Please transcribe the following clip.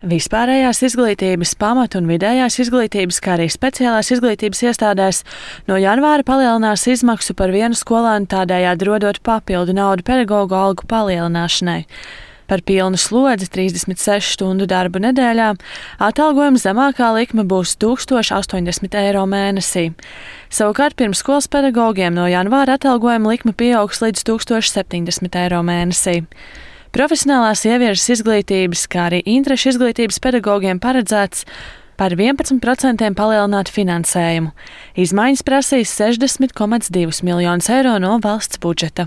Vispārējās izglītības, pamat- un vidējās izglītības, kā arī speciālās izglītības iestādēs no janvāra palielinās izmaksu par vienu skolēnu, tādējādi rodot papildu naudu pedagoģu algu palielināšanai. Par pilnu slodzi 36 stundu darbu nedēļā atalgojuma zemākā likme būs 1080 eiro mēnesī. Savukārt pirmsskolas pedagogiem no janvāra atalgojuma likme pieaugs līdz 1070 eiro mēnesī. Profesionālās ieviežas izglītības, kā arī interešu izglītības pedagogiem paredzēts par 11% palielināt finansējumu. Izmaiņas prasīs 60,2 miljonus eiro no valsts budžeta.